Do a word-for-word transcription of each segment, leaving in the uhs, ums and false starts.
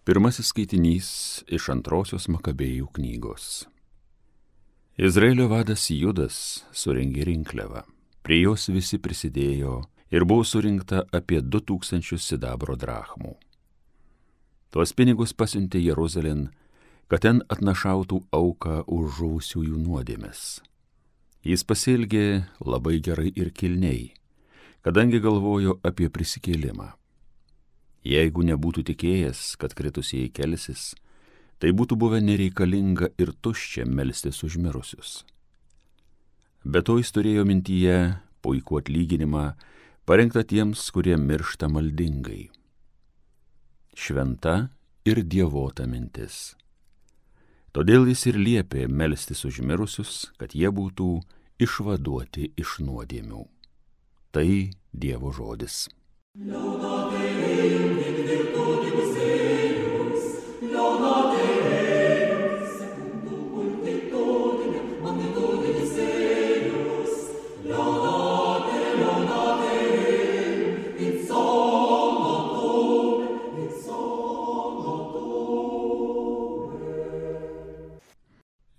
Pirmasis skaitinys iš antrosios Makabėjų knygos. Izraelio vadas Judas surengė rinkliavą. Prie jos visi prisidėjo ir buvo surinkta apie du tūkstančius sidabro drachmų. Tuos pinigus pasiuntė Jeruzalėn, kad ten atnašautų auką už žuvusiųjų nuodėmes. Jis pasielgė labai gerai ir kilniai, kadangi galvojo apie prisikėlimą. Jeigu nebūtų tikėjęs, kad kritusieji kelsis, tai būtų buvę nereikalinga ir tuščia melstis už mirusius. Be to jis turėjo mintyje puikų atlyginimą, parengtą tiems, kurie miršta maldingai. Šventa ir dievota mintis. Todėl jis ir liepė melstis už mirusius, kad jie būtų išvaduoti iš nuodėmių. Tai Dievo žodis.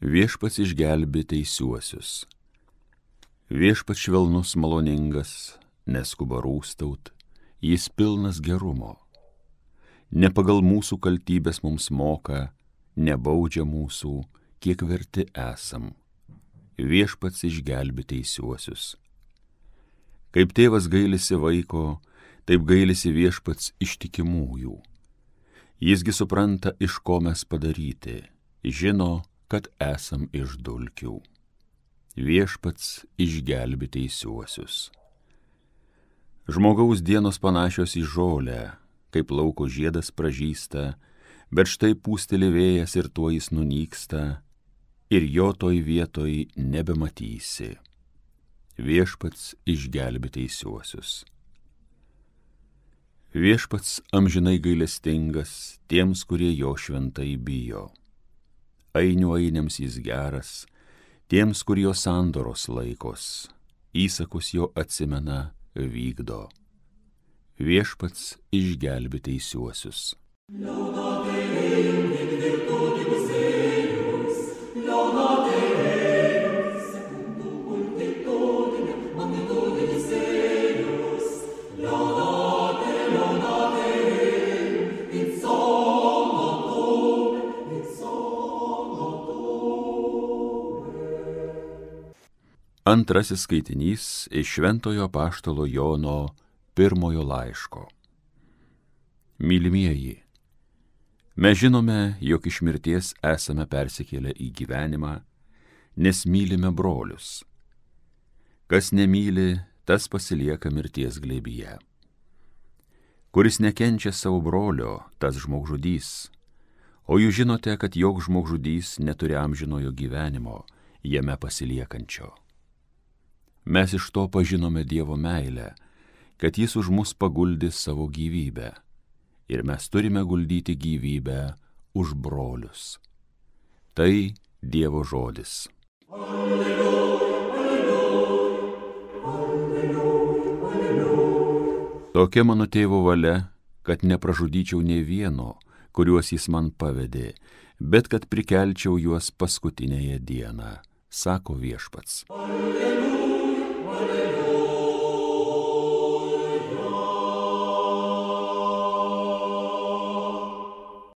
Viešpats išgelbė teisiuosius. Viešpats švelnus maloningas, neskuba rūstaut, jis pilnas gerumo. Ne pagal mūsų kaltybės mums moka, nebaudžia mūsų, kiek verti esam. Viešpats išgelbė teisiuosius. Kaip tėvas gailisi vaiko, taip gailisi Viešpats ištikimųjų. Jisgi supranta, iš ko mes padaryti, žino, kad esam iš dulkių. Viešpats išgelbė teisiuosius. Žmogaus dienos panašios į žolę, kaip lauko žiedas pražysta, bet štai pūsteli vėjas ir tuo jis nunyksta, ir jo toj vietoj nebematysi. Viešpats išgelbė teisiuosius. Viešpats amžinai gailestingas tiems, kurie jo šventai bijo. Ainių ainiams jis geras, tiems, kur jo sandoros laikos, įsakus jo atsimena, vykdo. Viešpats išgelbė teisiuosius. Antrasis skaitinys iš Šventojo apaštalo Jono pirmojo laiško. Mylimieji, mes žinome, jog iš mirties esame persikėlę į gyvenimą, nes mylime brolius. Kas nemyli, tas pasilieka mirties glėbyje. Kuris nekenčia savo brolio, tas žmogžudys, o jūs žinote, kad joks žmogžudys neturi amžinojo gyvenimo, jame pasiliekančio. Mes iš to pažinome Dievo meilę, kad jis už mus paguldė savo gyvybę, ir mes turime guldyti gyvybę už brolius. Tai Dievo žodis. Alleluja, alleluja, alleluja, alleluja. Tokia mano tėvo valia, kad nepražudyčiau nė vieno, kuriuos jis man pavedė, bet kad prikelčiau juos paskutinėje dieną, sako Viešpats. Alleluja.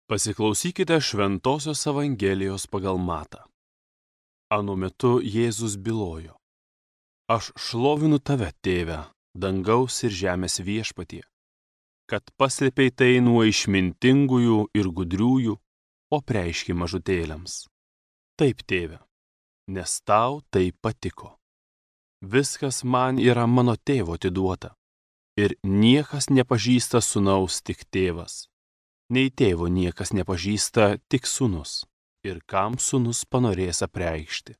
Pasiklausykite Šventosios Evangelijos pagal Matą. Anu metu Jėzus bylojo: Aš šlovinu tave, tėve, dangaus ir žemės viešpatie, kad paslėpei tai nuo išmintingųjų ir gudriųjų, o preiški mažutėliams. Taip, tėve, nes tau tai patiko. Viskas man yra mano tėvo atiduota, ir niekas nepažįsta sūnaus tik tėvas, nei tėvo niekas nepažįsta tik sūnus, ir kam sūnus panorės apreikšti.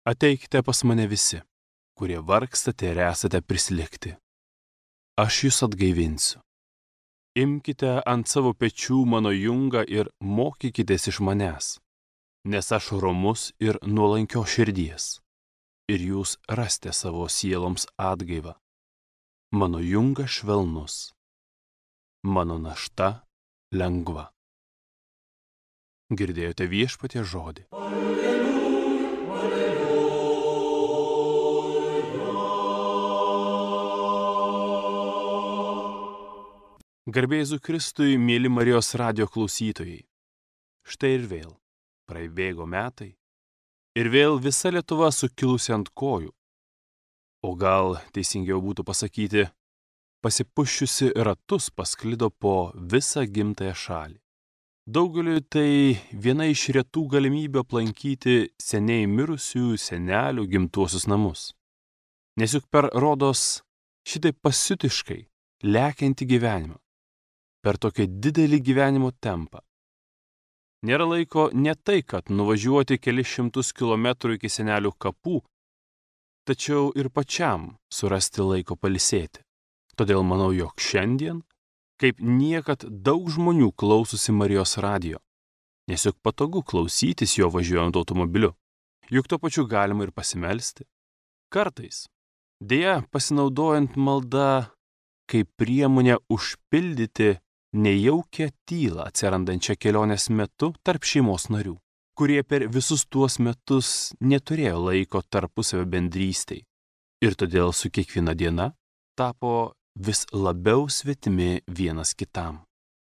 Ateikite pas mane visi, kurie vargstate ir esate prislėgti. Aš jūs atgaivinsiu. Imkite ant savo pečių mano jungą ir mokykitės iš manęs, nes aš romus ir nuolankio širdies, ir jūs rasite savo sieloms atgaivą. Mano jungas švelnus, mano našta lengva. Girdėjote Viešpaties žodį. Garbė Jėzui Kristui, mėly Marijos radijo klausytojai. Štai ir vėl praibėgo metai ir vėl visa Lietuva sukilusi ant kojų. O gal teisingiau būtų pasakyti, pasipuščiusi ratus pasklido po visą gimtąją šalį. Daugeliui tai viena iš retų galimybių aplankyti seniai mirusių senelių gimtuosius namus. Nes juk per rodos šitaip pasiutiškai lekianti gyvenimą, per tokį didelį gyvenimo tempą. Nėra laiko ne tai, kad nuvažiuoti kelis šimtus kilometrų iki senelių kapų, tačiau ir pačiam surasti laiko pailsėti. Todėl manau, jog šiandien, kaip niekad, daug žmonių klausosi Marijos radijo, nes juk patogu klausytis jo važiuojant automobiliu, juk tuo pačiu galima ir pasimelsti. Kartais, deja, pasinaudojant malda kaip priemonę užpildyti nejaukią tylą atsirandančią kelionės metu tarp šeimos narių, kurie per visus tuos metus neturėjo laiko tarpusavio bendrystei ir todėl su kiekviena diena tapo vis labiau svetimi vienas kitam.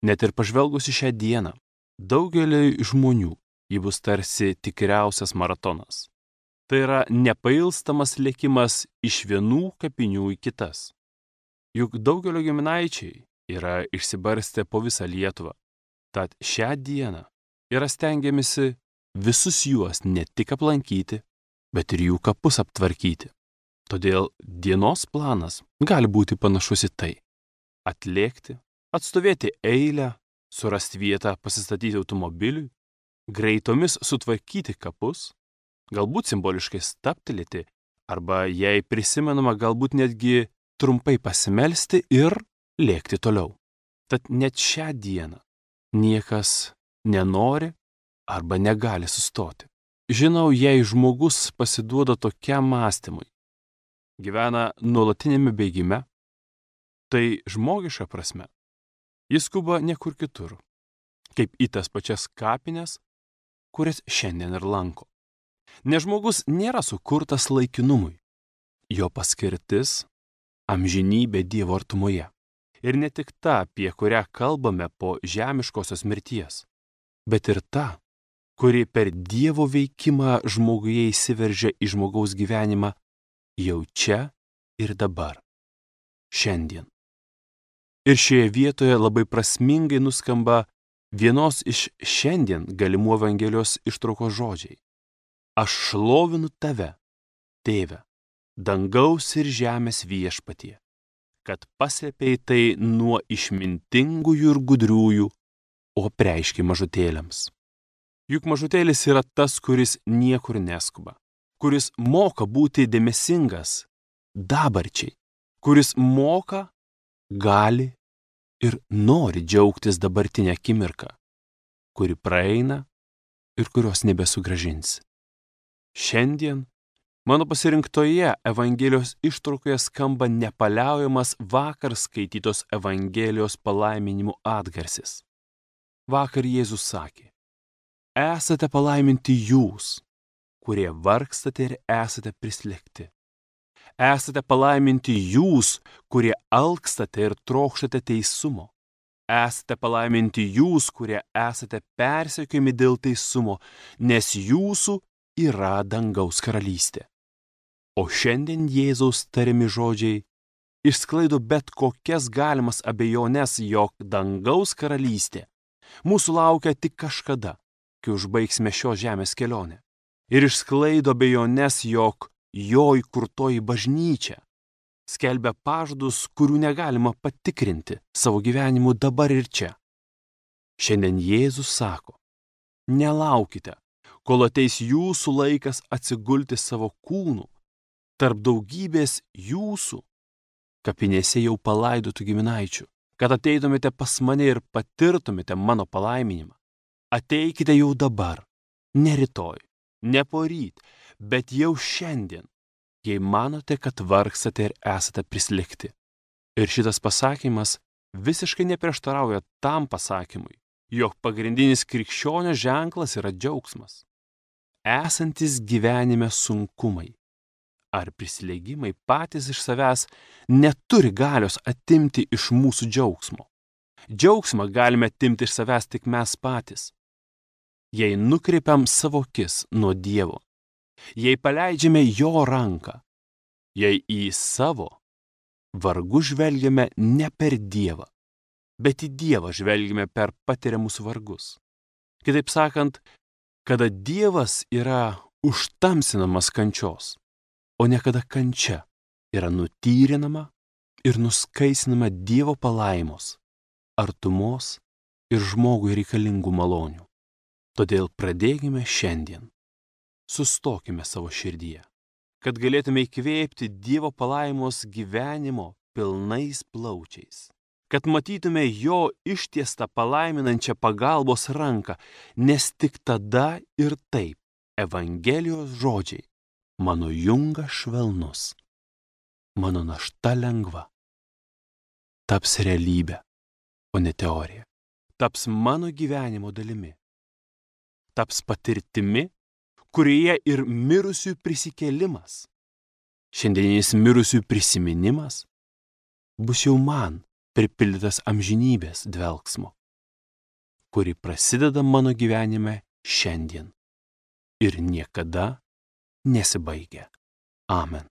Net ir pažvelgus į šią dieną, daugeliui žmonių ji bus tarsi tikriausias maratonas. Tai yra nepailstamas lėkimas iš vienų kapinių į kitas. Juk daugelio giminaičiai yra išsibarstę po visą Lietuvą, tad šią dieną yra stengiamasi visus juos ne tik aplankyti, bet ir jų kapus aptvarkyti. Todėl dienos planas gali būti panašus į tai: atlėkti, atstovėti eilę, surasti vietą pasistatyti automobiliui, greitomis sutvarkyti kapus, galbūt simboliškai stabtelėti, arba jei prisimenama, galbūt netgi trumpai pasimelsti ir lėkti toliau. Tad net šią dieną niekas nenori arba negali sustoti. Žinau, jei žmogus pasiduoda tokiam mąstymui, gyvena nuolatinėme bėgime, tai žmogiška prasme jis skuba niekur kitur, kaip į tas pačias kapines, kurias šiandien ir lanko. Nes žmogus nėra sukurtas laikinumui. Jo paskirtis – amžinybė Dievo artumoje. Ir ne tik ta, apie kurią kalbame po žemiškosios mirties, bet ir ta, kuri per Dievo veikimą žmoguje įsiveržia į žmogaus gyvenimą jau čia ir dabar, šiandien. Ir šioje vietoje labai prasmingai nuskamba vienos iš šiandien galimų Evangelijos ištraukos žodžiai. Aš šlovinu tave, Tėve, dangaus ir žemės viešpatie, kad paslėpei tai nuo išmintingųjų ir gudriųjų, o apreiški mažutėliams. Juk mažutėlis yra tas, kuris niekur neskuba, kuris moka būti dėmesingas dabarčiai, kuris moka, gali ir nori džiaugtis dabartinę akimirką, kuri praeina ir kurios nebesugrąžinsi. Šiandien mano pasirinktoje Evangelijos ištraukoje skamba nepaliaujamas vakar skaitytos Evangelijos palaiminimų atgarsis. Vakar Jėzus sakė: esate palaiminti jūs, kurie vargstate ir esate prislėgti. Esate palaiminti jūs, kurie alkstate ir trokštate teisumo. Esate palaiminti jūs, kurie esate persekiojami dėl teisumo, nes jūsų yra dangaus karalystė. O šiandien Jėzaus tariami žodžiai išsklaido bet kokias galimas abejones, jog dangaus karalystė mūsų laukia tik kažkada, kai užbaigsime šios žemės kelionę. Ir išsklaido abejones, jog jo įkurtoji bažnyčia skelbia pažadus, kurių negalima patikrinti savo gyvenimu dabar ir čia. Šiandien Jėzus sako: nelaukite, kol ateis jūsų laikas atsigulti savo kūnų tarp daugybės jūsų kapinėse jau palaidotų giminaičių, kad ateitumėte pas mane ir patirtumėte mano palaiminimą. Ateikite jau dabar, ne rytoj, ne poryt, bet jau šiandien, jei manote, kad vargstate ir esate prislėgti. Ir šitas pasakymas visiškai neprieštarauja tam pasakymui, jog pagrindinis krikščionio ženklas yra džiaugsmas. Esantis gyvenime sunkumai ar prisilėgimai patys iš savęs neturi galios atimti iš mūsų džiaugsmo. Džiaugsmą galime atimti iš savęs tik mes patys. Jei nukreipiam savo akis nuo Dievo, jei paleidžiame jo ranką, jei į savo vargus žvelgiame ne per Dievą, bet į Dievą žvelgiame per patiriamus vargus. Kitaip sakant, kada Dievas yra užtamsinamas kančios, o ne kada kančia yra nutyrinama ir nuskaisinama Dievo palaimos, artumos ir žmogui reikalingų malonių. Todėl pradėkime šiandien. Sustokime savo širdyje, kad galėtume įkvėpti Dievo palaimos gyvenimo pilnais plaučiais, kad matytume jo ištiestą palaiminančią pagalbos ranką, nes tik tada ir taip Evangelijos žodžiai: mano jungas švelnus, mano našta lengva, taps realybė, o ne teorija, taps mano gyvenimo dalimi, taps patirtimi, kurioje ir mirusių prisikėlimas, šiandieninis mirusių prisiminimas bus jau man pripildytas amžinybės dvelksmo, kuri prasideda mano gyvenime šiandien ir niekada nesibaigia. Amen.